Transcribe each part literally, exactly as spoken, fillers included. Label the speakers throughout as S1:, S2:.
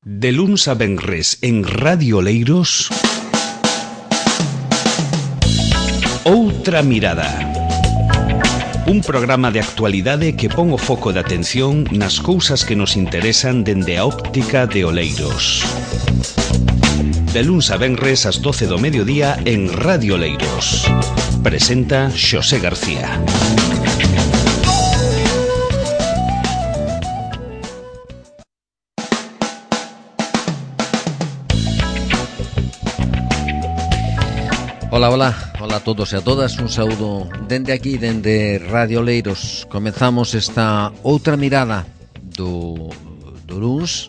S1: De luns a venres en Radio Oleiros, Outra Mirada. Un programa de actualidade que pon o foco de atención nas cousas que nos interesan dende a óptica de Oleiros. De luns a venres ás doce do mediodía en Radio Oleiros. Presenta Xosé García.
S2: Ola, ola, ola a todos e a todas, un saúdo dende aquí, dende Radio Oleiros. Comezamos esta outra mirada do, do luns,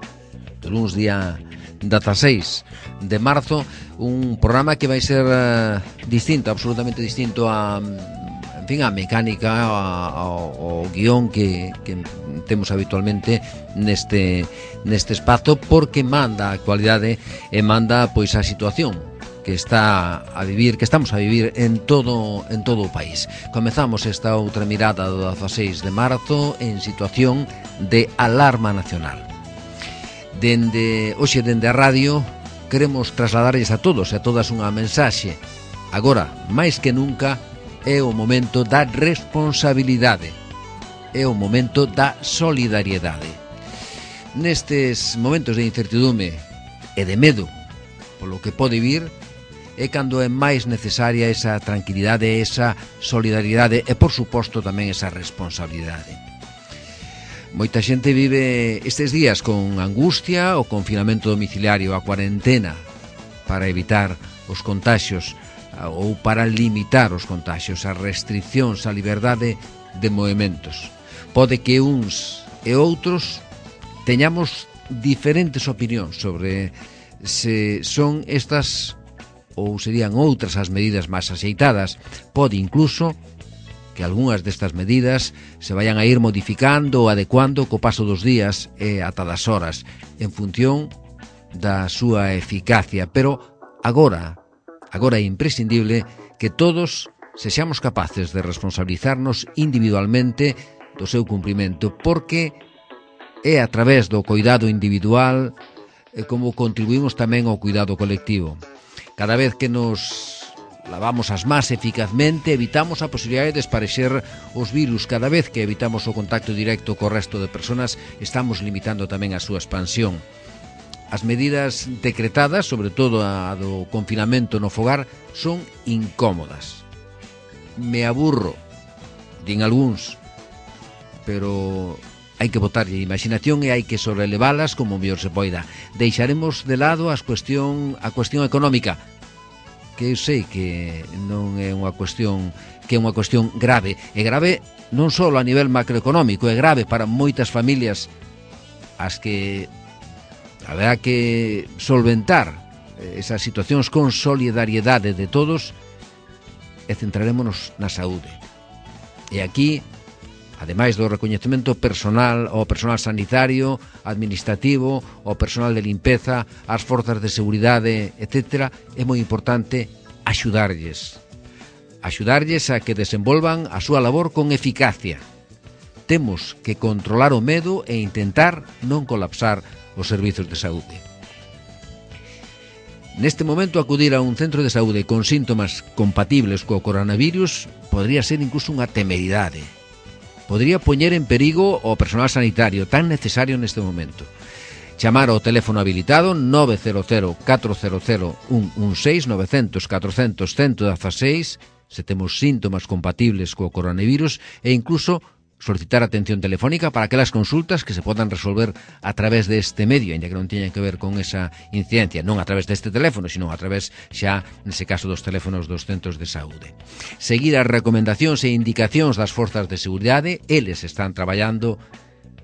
S2: do luns día dezaseis de marzo, un programa que vai ser uh, distinto, absolutamente distinto a, en fin, a mecánica, ao guión que, que temos habitualmente neste, neste espazo, porque manda a actualidade e manda pois a situación que está a vivir, que estamos a vivir en todo en todo o país. Comezamos esta outra mirada do dezaseis de marzo en situación de alarma nacional. Dende hoxe dende a radio queremos trasladarlles a todos e a todas unha mensaxe. Agora, máis que nunca, é o momento da responsabilidade. É o momento da solidariedade. Nestes momentos de incertidume e de medo polo que pode vir, é cando é máis necesaria esa tranquilidade, esa solidaridade e, por suposto, tamén esa responsabilidade. Moita xente vive estes días con angustia, o confinamento domiciliario, a cuarentena, para evitar os contaxios ou para limitar os contaxios, as restriccións á liberdade de movimentos. Pode que uns e outros teñamos diferentes opinións sobre se son estas ou serían outras as medidas máis axeitadas. Pode incluso que algunhas destas medidas se vayan a ir modificando ou adecuando co paso dos días e ata das horas en función da súa eficacia, pero agora agora é imprescindible que todos sexamos capaces de responsabilizarnos individualmente do seu cumprimento, porque é a través do cuidado individual e como contribuímos tamén ao cuidado colectivo. Cada vez que nos lavamos as mans eficazmente, evitamos a posibilidade de esparexer os virus. Cada vez que evitamos o contacto directo co resto de persoas, estamos limitando tamén a súa expansión. As medidas decretadas, sobre todo a do confinamento no fogar, son incómodas. Me aburro, din algúns, pero hai que botarlle imaginación e hai que sobrelevalas como mellor se poida. Deixaremos de lado as cuestión, a cuestión económica, que eu sei que non é unha cuestión que é unha cuestión grave. É grave non só a nivel macroeconómico, é grave para moitas familias as que haberá que solventar esas situacións con solidariedade de todos, e centrarémonos na saúde. E aquí, ademais do recoñecemento personal ao personal sanitario, administrativo, ao personal de limpeza, ás forzas de seguridade, etcétera, é moi importante axudarlles. Axudarlles a que desenvolvan a súa labor con eficacia. Temos que controlar o medo e intentar non colapsar os servizos de saúde. Neste momento, acudir a un centro de saúde con síntomas compatibles co coronavirus podría ser incluso unha temeridade. Podría poñer en perigo o personal sanitario tan necesario neste momento. Chamar ao teléfono habilitado nove cero cero catro cero cero un un seis nove cero cero catro cero cero un uno seis se temos síntomas compatibles co coronavirus, e incluso solicitar atención telefónica para aquelas consultas que se podan resolver a través deste medio, ainda que non teñan que ver con esa incidencia, non a través deste teléfono, sino a través xa, nese caso, dos teléfonos dos centros de saúde. Seguir as recomendacións e indicacións das forzas de seguridade, eles están traballando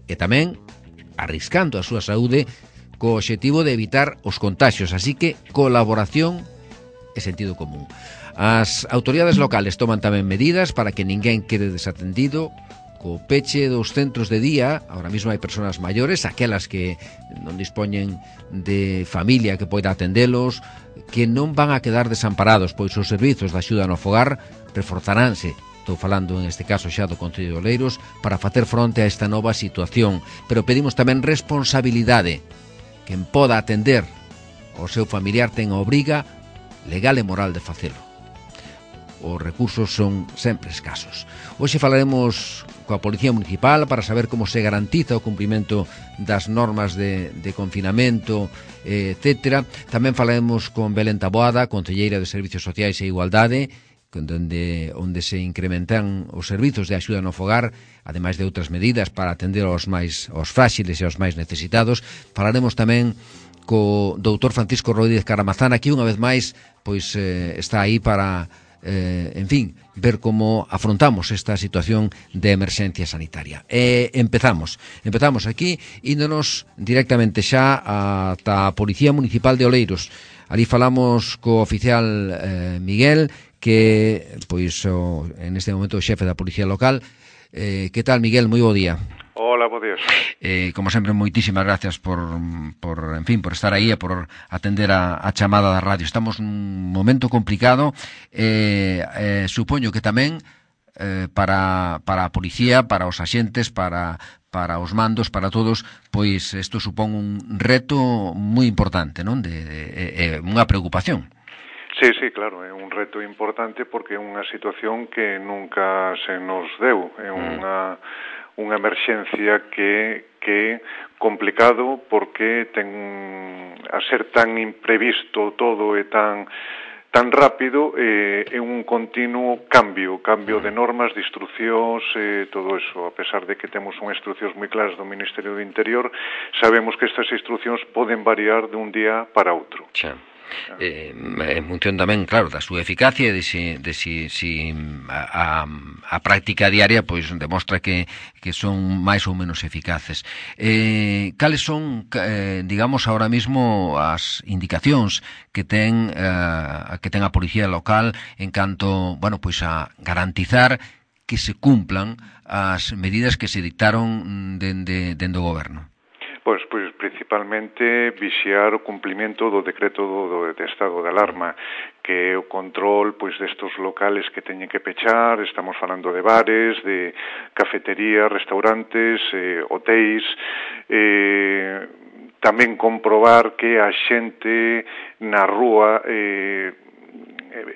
S2: e tamén arriscando a súa saúde co obxectivo de evitar os contaxios, así que colaboración e sentido común. As autoridades locales toman tamén medidas para que ninguén quede desatendido. Co peche dos centros de día, ahora mesmo hai persoas maiores, aquelas que non dispoñen de familia que poida atendelos, que non van a quedar desamparados, pois os servizos de axuda no fogar reforzaránse. Estou falando en este caso xa do Concello de Oleiros, para facer fronte a esta nova situación, pero pedimos tamén responsabilidade, quen poda atender o seu familiar ten a obriga legal e moral de facelo. Os recursos son sempre escasos. Hoxe falaremos coa Policía Municipal para saber como se garantiza o cumprimento das normas de, de confinamento, eh, etcétera. Tamén falaremos con Belén Taboada, concelleira de Servicios Sociais e Igualdade, onde, onde se incrementan os servizos de axuda no fogar, ademais de outras medidas para atender aos máis aos fráxiles e aos máis necesitados. Falaremos tamén co doutor Francisco Rodríguez Caramazán, que unha vez máis pois eh, está aí para eh, en fin, ver como afrontamos esta situación de emerxencia sanitaria. E empezamos, empezamos aquí índonos directamente xa ata a Policía Municipal de Oleiros. Ali falamos co oficial eh, Miguel, que pois o, en este momento o xefe da Policía Local. Eh, que tal, Miguel? Moi bo día.
S3: Hola, bo día.
S2: Eh, como sempre, moitísimas gracias por, por, en fin, por estar aí e por atender a, a chamada da radio. Estamos nun momento complicado. Eh, eh, supoño que tamén eh, para, para a policía, para os axentes, para, para os mandos, para todos, pois isto supón un reto moi importante, non? De, de, de, de unha preocupación.
S3: Sí, sí, claro, é un reto importante porque é unha situación que nunca se nos deu, é unha, unha emerxencia que que complicado porque ten a ser tan imprevisto todo e tan tan rápido, eh, é un continuo cambio, cambio de normas, de instruccións, eh, todo eso. A pesar de que temos unhas instruccións moi claras do Ministerio do Interior, sabemos que estas instruccións poden variar dun día para outro.
S2: Sí. Eh, en función tamén, claro, da súa eficacia e de si, de si, si a, a, a práctica diaria pois demostra que, que son máis ou menos eficaces. Eh, cales son, eh, digamos, ahora mismo as indicacións que ten eh, que ten a Policía Local en canto, bueno, pois a garantizar que se cumplan as medidas que se dictaron dende, dende o Goberno?
S3: Pois, pois principalmente vixiar o cumplimento do decreto do, do de estado de alarma, que é o control pois destos locales que teñen que pechar. Estamos falando de bares, de cafeterías, restaurantes, eh, hotéis, eh, tamén comprobar que a xente na rúa eh,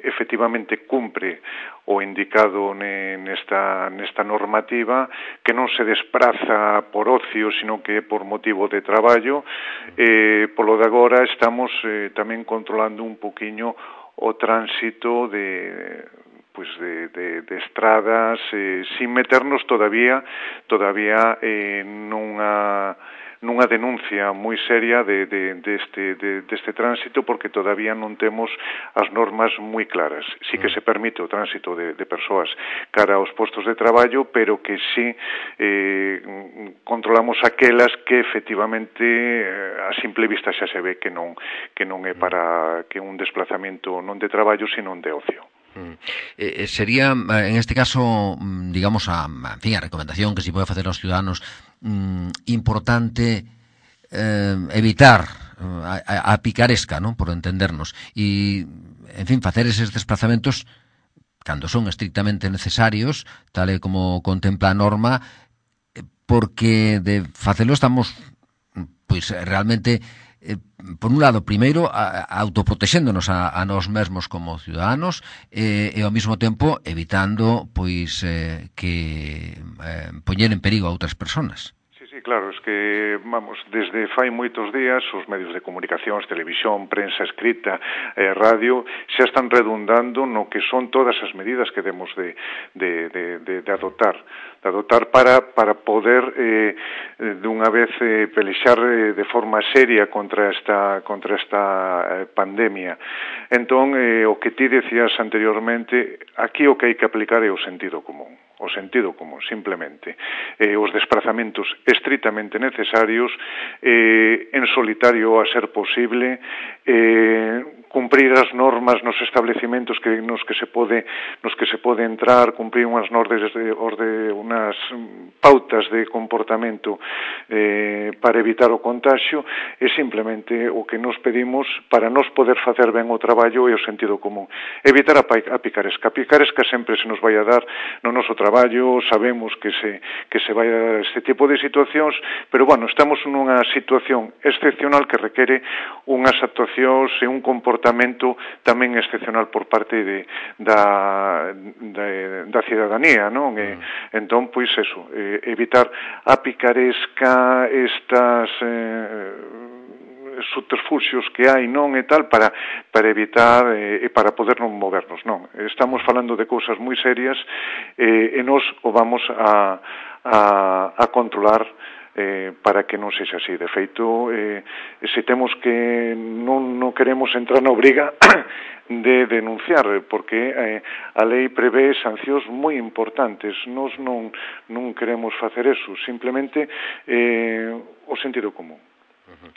S3: efectivamente cumpre o indicado nesta, nesta normativa, que non se despraza por ocio, sino que é por motivo de traballo. Eh, polo de agora estamos eh, tamén controlando un poquinho o tránsito de pues de, de, de estradas, eh, sin meternos todavía todavía eh, nunha nunha denuncia moi seria de, de, de este, de, de este tránsito, porque todavía non temos as normas moi claras. Sí que se permite o tránsito de, de persoas cara aos postos de traballo, pero que sí eh, controlamos aquelas que efectivamente a simple vista xa se ve que non, que non é para que un desplazamento non de traballo, sino de ocio.
S2: Eh, sería, en este caso, digamos, a, en fin, a recomendación que se pode facer aos ciudadanos, mm, importante eh, evitar a, a, a picaresca, ¿no?, por entendernos, e, en fin, facer eses desplazamentos cando son estrictamente necesarios, tal e como contempla a norma, porque de facelo estamos, pois, realmente, eh, por un lado, primeiro, a, a autoprotexéndonos a, a nós mesmos como ciudadanos, eh, e ao mesmo tempo evitando pois eh, que eh, poñer en perigo a outras persoas.
S3: Sí, claro, es que, vamos, desde fai moitos días os medios de comunicación, televisión, prensa escrita, eh, radio, xa están redundando no que son todas as medidas que demos de, de, de, de, de adoptar, de adoptar para, para poder eh, de unha vez eh, pelexar eh, de forma seria contra esta, contra esta eh, pandemia. Entón, eh, o que ti decías anteriormente, aquí o que hai que aplicar é o sentido común. O sentido común, simplemente. Eh, os desplazamentos estritamente necesarios, eh, en solitario a ser posible, eh, cumprir as normas nos establecementos que nos que se pode nos que se pode entrar, cumprir unhas normas de, de unas pautas de comportamento eh, para evitar o contagio, e simplemente o que nos pedimos para nos poder facer ben o traballo é o sentido común. Evitar a, a picaresca. A picaresca sempre se nos vai a dar no noso traballo, sabemos que se que se vai a dar este tipo de situacións, pero bueno, estamos nunha situación excepcional que requere unhas actuacións e un comportamento tamén excepcional por parte de, da, da, da cidadanía, non? E, entón, pois, eso, eh, evitar a picaresca, estas eh, subterfuxios que hai, non, e tal, para, para evitar eh, e para poder non movernos, non. Estamos falando de cousas moi serias eh, e nos o vamos a, a, a controlar Eh, para que non sexa así. De feito, eh, se temos que non, non queremos entrar na obriga de denunciar, porque eh, a lei prevé sancións moi importantes. Nos non, non queremos facer eso, simplemente eh, o sentido común.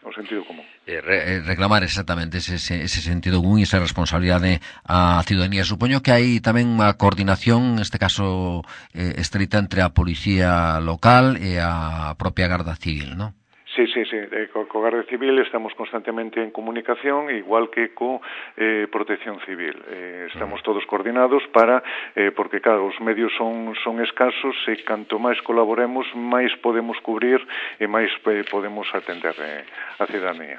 S3: O sentido común.
S2: Eh, re, reclamar exactamente ese, ese sentido común e esa responsabilidade á ciudadanía. Supoño que hai tamén unha coordinación, neste caso eh, estrita, entre a policía local e a propia Garda Civil, non?
S3: Sí, sí, sí. Eh, co, co Garda Civil estamos constantemente en comunicación, igual que co eh, Protección Civil. Eh, estamos todos coordinados para, eh, porque claro, os medios son, son escasos e canto máis colaboremos, máis podemos cubrir e máis eh, podemos atender eh, a cidadanía.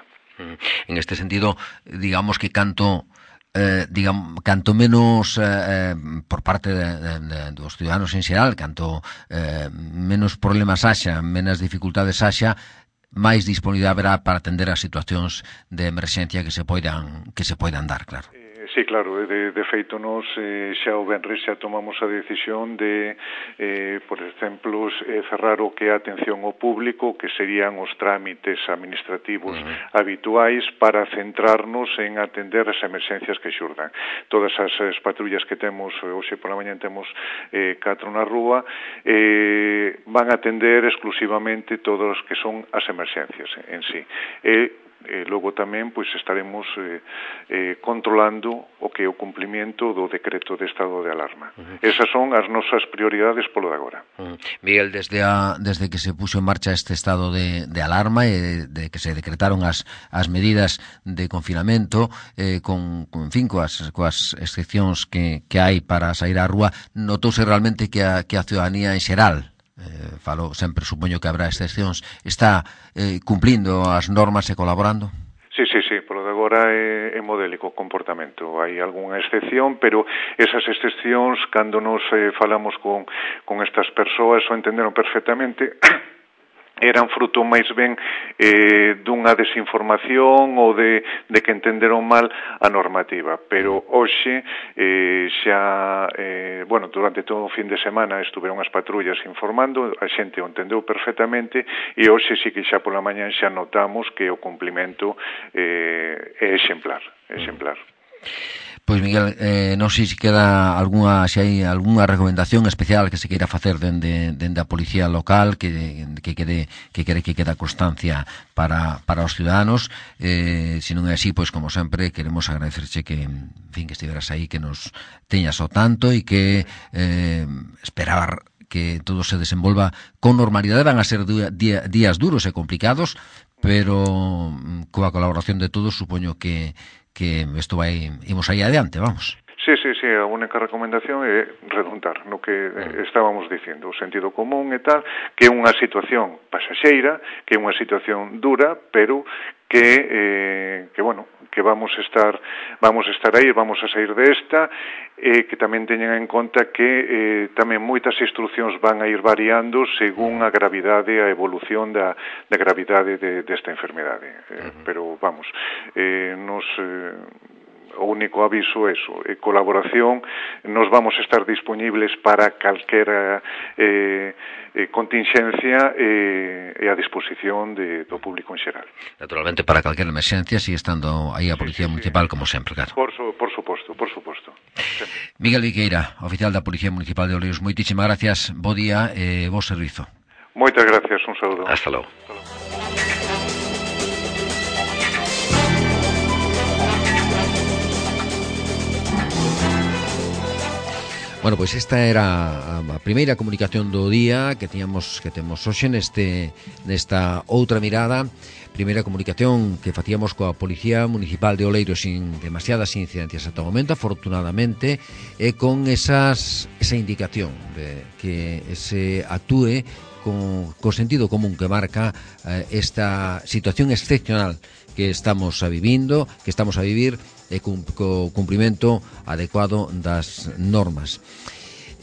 S2: En este sentido, digamos que canto... Eh, digamos, canto menos eh, por parte de, de, de, dos ciudadanos en xeral, canto eh, menos problemas haxa, menos dificultades haxa, máis disponibilidade haberá para atender as situacións de emerxencia que se poidan que se poidan dar, claro.
S3: Sí, claro, de, de feito nos eh, xa o venres xa tomamos a decisión de, eh, por exemplo, eh, cerrar o que é a atención ao público, que serían os trámites administrativos uh-huh. habituais, para centrarnos en atender as emerxencias que xurdan. Todas as, as patrullas que temos, hoxe pola mañá temos eh, catro na rúa, eh, van a atender exclusivamente todos os que son as emerxencias en sí. E E logo tamén pois estaremos eh, eh, controlando o que é o cumplimento do decreto de estado de alarma. Uh-huh. Esas son as nosas prioridades polo de agora.
S2: Uh-huh. Miguel, desde a, desde que se puxo en marcha este estado de, de alarma e de que se decretaron as, as medidas de confinamento, eh, con, con, en fin, coas, coas excepcións que, que hai para sair á rúa, notouse realmente que a, que a ciudadanía en xeral, Eh, falo, sempre supoño que habrá excepcións, está eh, cumplindo as normas e colaborando?
S3: Sí, sí, sí, polo de agora é, é modélico o comportamento. Hai algunha excepción, pero esas excepcións, cando nos eh, falamos con, con estas persoas, o entenderon perfectamente, eran fruto máis ben eh, dunha desinformación ou de, de que entenderon mal a normativa, pero hoxe eh, xa eh, bueno, durante todo o fin de semana estuveron as patrullas informando, a xente o entendeu perfectamente, e hoxe sí que xa pola mañá xa notamos que o cumplimento eh, é exemplar, exemplar.
S2: Pois Miguel, eh, non sei se queda algunha, se hai algunha recomendación especial que se queira facer dende, dende a policía local, que, que quede que quere que queda constancia para, para os ciudadanos. Eh, se non é así, pois como sempre queremos agradecerche que, en fin, que estiveras aí, que nos teñas o tanto e que eh, esperar que todo se desenvolva con normalidade. Van a ser día, días duros e complicados, pero coa colaboración de todos supoño que que isto vai, imos aí adiante, vamos.
S3: Sí, sí, sí, a única recomendación é redundar no que eh, estábamos dicindo, o sentido común e tal, que é unha situación pasaxeira, que é unha situación dura, pero que, eh, que bueno, que vamos a estar vamos a estar aí, vamos a sair desta, e eh, que tamén teñan en conta que eh, tamén moitas instruccións van a ir variando según a gravidade, a evolución da, da gravidade de, desta enfermedade. Eh, uh-huh. Pero, vamos, eh, nos... Eh, o único aviso é eso, é colaboración, nos vamos a estar disponibles para calquera eh, eh, contingencia eh, e a disposición de, do público en xeral.
S2: Naturalmente, para calquera emerxencia, sigue estando aí a Policía sí, sí, Municipal, sí. Como sempre, claro.
S3: Por, su, por suposto, por suposto. Sempre.
S2: Miguel Viqueira, oficial da Policía Municipal de Oleiros, moitísimas gracias, bo día e eh, bo servizo.
S3: Moitas gracias, un saúdo.
S2: Hasta logo.
S3: Hasta logo.
S2: Bueno, pois esta era a primeira comunicación do día que tiñamos que temos hoxe neste nesta outra mirada. Primeira comunicación que facíamos coa Policía Municipal de Oleiros sin demasiadas incidencias ata o momento, afortunadamente, e con esas esa indicación de que se actúe con, con sentido común que marca eh, esta situación excepcional que estamos a vivindo, que estamos a vivir e con co cumprimento adecuado das normas.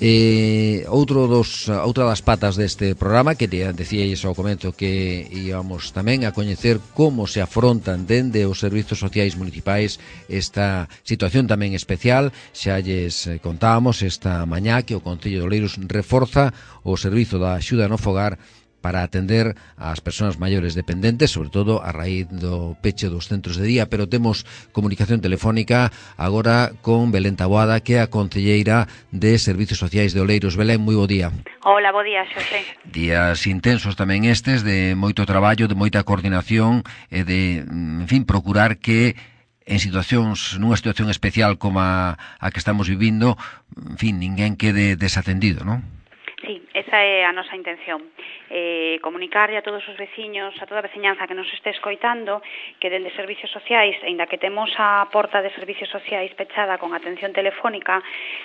S2: Eh, outro dos, outra das patas deste programa, que decíais ao comezo que íbamos tamén a coñecer como se afrontan dende os servizos sociais municipais esta situación tamén especial. Xa lles contábamos esta mañá que o Concello de Oleiros reforza o servizo da axuda no fogar para atender ás persoas maiores dependentes, sobre todo a raíz do peche dos centros de día, pero temos comunicación telefónica agora con Belén Taboada, que é a concelleira de Servizos Sociais de Oleiros. Belén, moi bo día.
S4: Hola, bo día, Xosé.
S2: Días intensos tamén estes, de moito traballo, de moita coordinación e de, en fin, procurar que en situacións, nunha situación especial como a, a que estamos vivindo, en fin, ninguén quede desatendido, non?
S4: Sí, esa é a nosa intención, eh, comunicarle a todos os veciños, a toda a veciñanza que nos este escoitando, que dende Servicios Sociais, aínda que temos a porta de Servicios Sociais pechada con atención telefónica,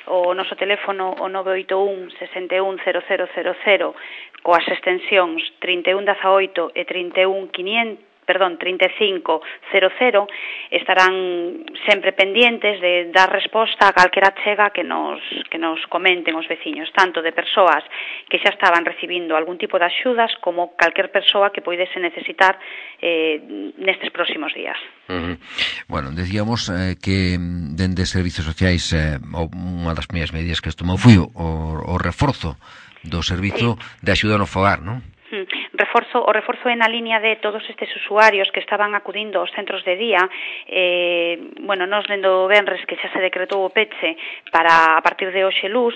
S4: o noso teléfono o nove oito un, seis un, cero cero cero cero, coas extensións trinta e un dezaoito e trinta e un quinientos, perdón, trinta e cinco cero cero, estarán sempre pendientes de dar resposta a calquera chega que nos que nos comenten os veciños, tanto de persoas que xa estaban recibindo algún tipo de axudas como calquer persoa que poidese necesitar eh, nestes próximos días.
S2: Uh-huh. Bueno, decíamos eh, que dende Servizos Sociais eh, unha das primeiras medidas que tomou foi o, o reforzo do servizo sí. de axuda no fogar, non?
S4: Reforzo, o reforzo é na línea de todos estes usuarios que estaban acudindo aos centros de día. Eh, bueno, nos dendo venres que xa se decretou o peche para a partir de hoxe luz,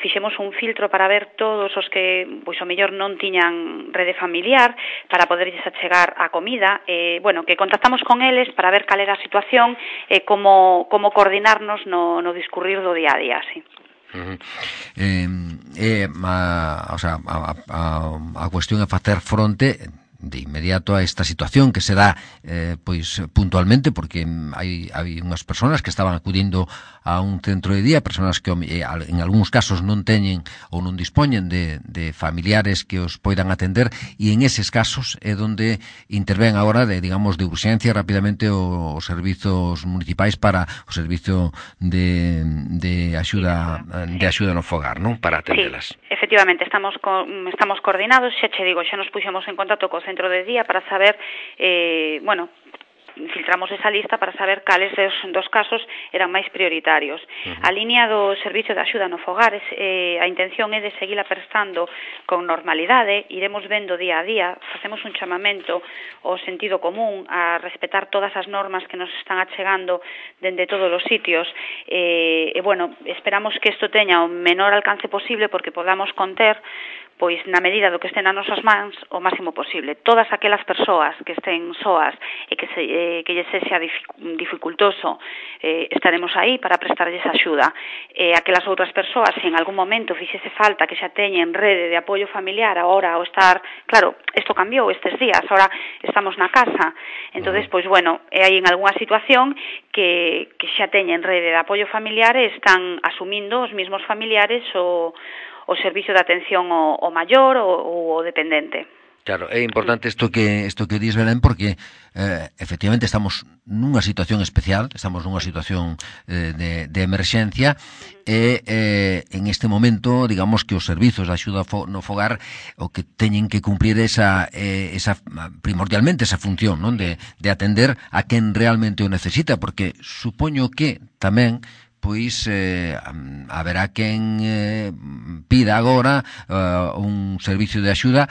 S4: fixemos un filtro para ver todos os que, pois, o mellor non tiñan rede familiar para poderlles achegar a comida. Eh, bueno, que contactamos con eles para ver cal era a situación e eh, como, como coordinarnos no, no discurrir do día a día, sí.
S2: Uh-huh. Eh, eh, a, o sea, a, a, a cuestión é facer fronte de inmediato a esta situación que se dá eh, pois puntualmente, porque hai, hai unhas persoas que estaban acudindo a un centro de día, persoas que eh, en algúns casos non teñen ou non dispoñen de, de familiares que os poidan atender, e en eses casos é onde intervén agora de, digamos, de urxencia rapidamente os servizos municipais para o servizo de, de axuda de axuda no fogar, non? Para atendelas.
S4: Sí, efectivamente, estamos co, estamos coordinados, xa che digo, xa nos puxemos en contacto co centro de día para saber, eh, bueno, filtramos esa lista para saber cales dos, dos casos eran máis prioritarios. Uh-huh. A línea do Servicio de Axuda no Fogar, eh, a intención é de seguila prestando con normalidade, iremos vendo día a día, facemos un chamamento ao sentido común, a respetar todas as normas que nos están achegando dende todos os sitios, e, eh, bueno, esperamos que isto teña o menor alcance posible porque podamos conter, pois na medida do que estén nas nosas mans o máximo posible. Todas aquelas persoas que estén soas e que se, eh, que lle sexa dificultoso, eh, estaremos aí para prestarlles axuda. Eh, aquelas outras persoas, se en algún momento fixese falta que xa teñen rede de apoio familiar, agora ao estar, claro, isto cambiou estes días, agora estamos na casa, entonces, pois bueno, é aí en algunha situación que, que xa teñen rede de apoio familiar e están asumindo os mismos familiares o o servicio de atención ao, ao maior ou ao dependente.
S2: Claro, é importante isto que isto que dis, Belén, porque eh, efectivamente estamos nunha situación especial, estamos nunha situación eh, de, de emerxencia e eh, en este momento, digamos que os servizos de axuda no fogar o que teñen que cumplir esa, eh, esa primordialmente esa función, non, de, de atender a quen realmente o necesita, porque supoño que tamén pois eh, haberá quen eh, pida agora uh, un servicio de axuda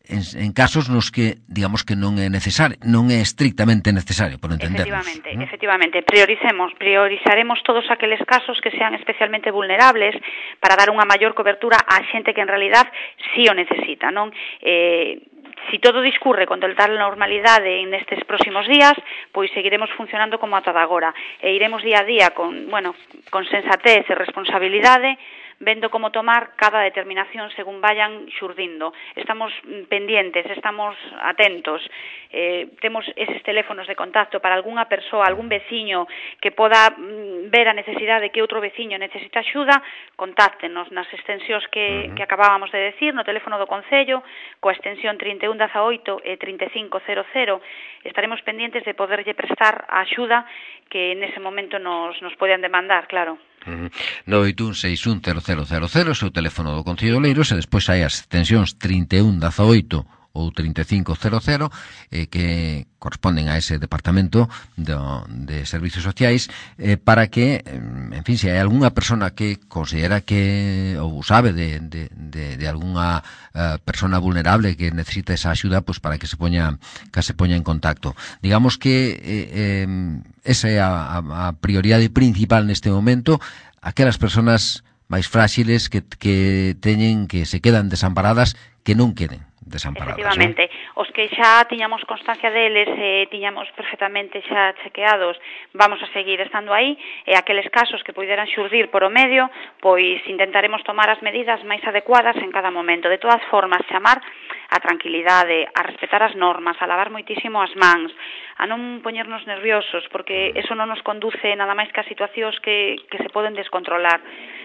S2: en, en casos nos que, digamos, que non é necesario, non é estrictamente necesario, por entendernos.
S4: Efectivamente,
S2: ¿no?
S4: efectivamente, prioricemos, priorizaremos todos aqueles casos que sean especialmente vulnerables para dar unha maior cobertura á xente que en realidad sí o necesita, non? Eh, Si todo discurre con total normalidade nestes próximos días, pois seguiremos funcionando como ata agora e iremos día a día con, bueno, con sensatez e responsabilidade vendo como tomar cada determinación según vayan xurdindo. Estamos pendientes, estamos atentos, eh, temos eses teléfonos de contacto para algunha persoa, algún veciño que poda mm, ver a necesidade que outro veciño necesita axuda, contáctenos nas extensións que, uh-huh. que acabábamos de decir, no teléfono do Concello, coa extensión trinta e un dezaoito e trinta e cinco cero cero, estaremos pendientes de poderlle prestar a axuda que nese momento nos, nos poden demandar, claro.
S2: Uh-huh. nove oito un seis un cero cero cero cero, o seu teléfono do Concello de Oleiros, e despois hai as extensións trinta e un dezaoito ou trinta e cinco cero cero eh, que corresponden a ese departamento de, de servicios sociais eh, para que, en fin, se hai algunha persona que considera que ou sabe de, de, de, de algunha uh, persona vulnerable que necesita esa axuda, pues para que se poña que se poña en contacto. Digamos que eh, eh, esa é a, a prioridade principal neste momento, aquelas persoas máis fráxiles que, que teñen, que se quedan desamparadas, que non queden desamparadas.
S4: Efectivamente,
S2: ¿no?
S4: Os que xa tiñamos constancia deles e eh, tiñamos perfectamente xa chequeados, vamos a seguir estando aí, e aqueles casos que poideran xurdir por o medio, pois intentaremos tomar as medidas máis adecuadas en cada momento. De todas formas, chamar a tranquilidade, a respetar as normas, a lavar moitísimo as mans, a non poñernos nerviosos, porque eso non nos conduce nada máis que a situacións que, que se poden descontrolar.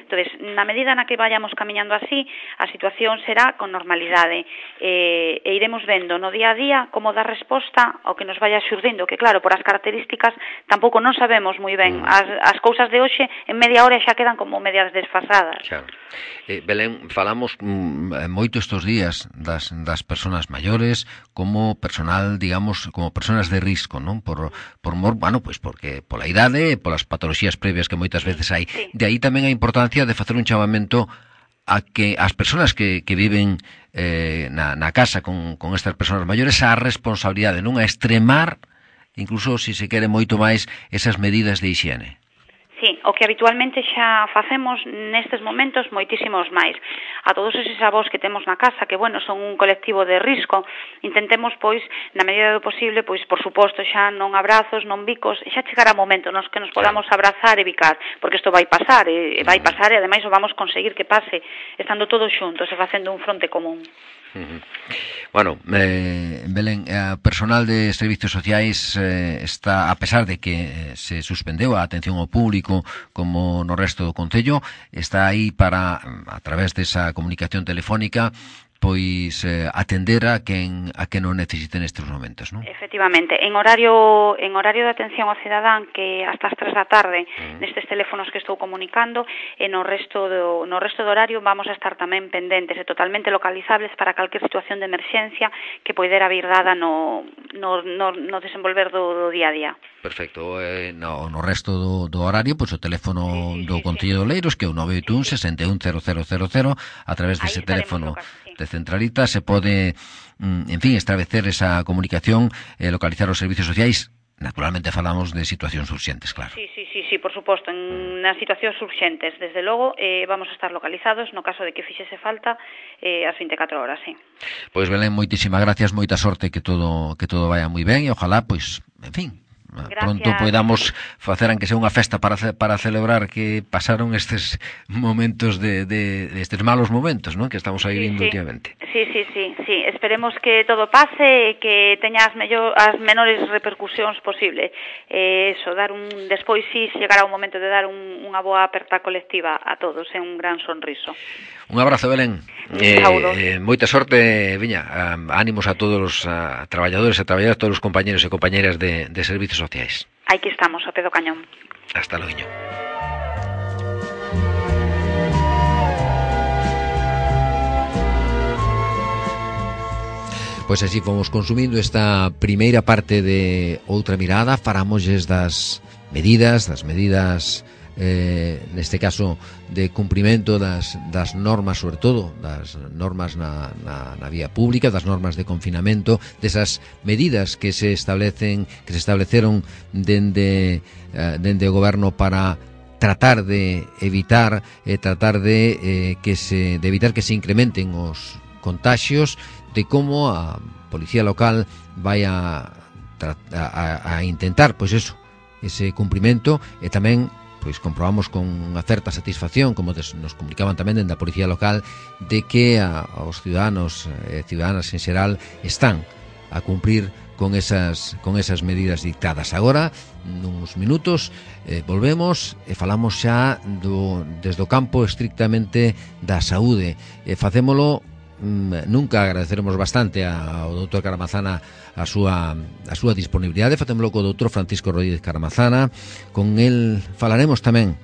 S4: Entonces, na medida na que vayamos camiñando así, a situación será con normalidade, e, e iremos vendo no día a día como dar resposta ao que nos vaya xurdindo, que claro, por as características tampouco non sabemos moi ben. As, as cousas de hoxe en media hora xa quedan como medias desfasadas.
S2: Claro. Eh, Belén, falamos mm, moito estes días das, das persoas maiores como personal, digamos, como persoas de risco, non? Por, por mor, bueno, pues porque pola idade, polas patoloxías previas que moitas veces hai.
S4: Sí.
S2: De aí tamén a importancia de facer un chamamento a que as persoas que, que viven eh, na, na casa con, con estas persoas maiores a responsabilidade, non? A extremar, incluso se se quere moito máis, esas medidas de higiene.
S4: Sí, o que habitualmente xa facemos nestes momentos moitísimos máis. A todos eses avós que temos na casa, que, bueno, son un colectivo de risco, intentemos, pois, na medida do posible, pois, por suposto, xa non abrazos, non bicos, xa chegará o momento nos que nos podamos abrazar e bicar, porque isto vai pasar, e vai pasar, e ademais o vamos conseguir que pase, estando todos xuntos e facendo un fronte común.
S2: Uh-huh. Bueno, eh, Belén, a personal de servicios sociais eh, está, a pesar de que se suspendeu a atención ao público como no resto do Concello, está aí para, a través desa comunicación telefónica, pois eh, atender a quen a quen o necesite nestes momentos, non?
S4: Efectivamente, en horario en horario de atención ao cidadán, que hasta as tres da tarde, uh-huh. nestes teléfonos que estou comunicando, e no resto do no resto do horario vamos a estar tamén pendentes e totalmente localizables para calquer situación de emerxencia que poidera vir dada no no no, no desenvolver do, do día a día.
S2: Perfecto, eh, no, no resto do, do horario, pois o teléfono
S4: sí, sí,
S2: do
S4: sí,
S2: Concello de Oleiros, que é o nove oito un, seis un, cero cero cero cero, a través dese teléfono de centralita se pode, en fin, establecer esa comunicación, eh, localizar os servicios sociais. Naturalmente falamos de situacións urxentes, claro.
S4: Sí, sí, sí, sí, por suposto, en nas situacións urxentes, desde logo, eh, vamos a estar localizados no caso de que fixese falta eh, as vinte e catro horas, sí.
S2: Pois Belén, moitísimas gracias, moita sorte, que todo que todo vaya moi ben e ojalá, pois, en fin,
S4: Gracias.
S2: Pronto podamos facer aunque sea unha festa para para celebrar que pasaron estes momentos de, de, de estes malos momentos, ¿no?, que estamos aí vivindo
S4: sí, sí.
S2: últimamente.
S4: Sí, sí, sí, sí, esperemos que todo pase e que teña as, mellor, as menores repercusións posible. Eh, eso, dar un despois sí chegará o momento de dar un, unha boa aperta colectiva a todos, é un gran sonriso.
S2: Un abrazo, Belén. Eh, eh, moita sorte, viña, ánimos a todos os a, traballadores e traballadoras, todos os compañeros e compañeras de, de servicios sociais.
S4: Aquí estamos, a pé do cañón.
S2: Hasta logo. Pois así fomos consumindo esta primeira parte de Outra Mirada. Farámosles das medidas, das medidas eh, neste caso de cumprimento das, das normas, sobre todo das normas na, na, na vía pública, das normas de confinamento, desas medidas que se establecen, que se estableceron dende, eh, dende o goberno para tratar de evitar eh, tratar de eh, que se de evitar que se incrementen os contaxios, de como a policía local vai a, a, a intentar, pois eso, ese cumprimento, e tamén pois comprobamos con unha certa satisfacción, como des, nos comunicaban tamén dende a Policía Local, de que a, aos ciudadanos e ciudadanas en xeral están a cumprir con esas, con esas medidas dictadas. Agora, nuns minutos, eh, volvemos e falamos xa do, desde o campo estrictamente da saúde. E facémolo, mm, nunca agradeceremos bastante ao doutor Caramazana a súa, a súa disponibilidade. Facémolo co doutor Francisco Rodríguez Caramazana. Con el falaremos tamén,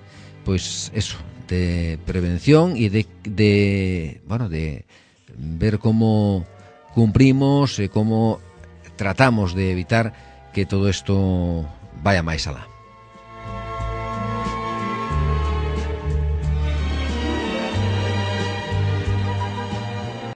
S2: pois, eso, de prevención e de, de, bueno, de ver como cumprimos e como tratamos de evitar que todo isto vaya máis alá.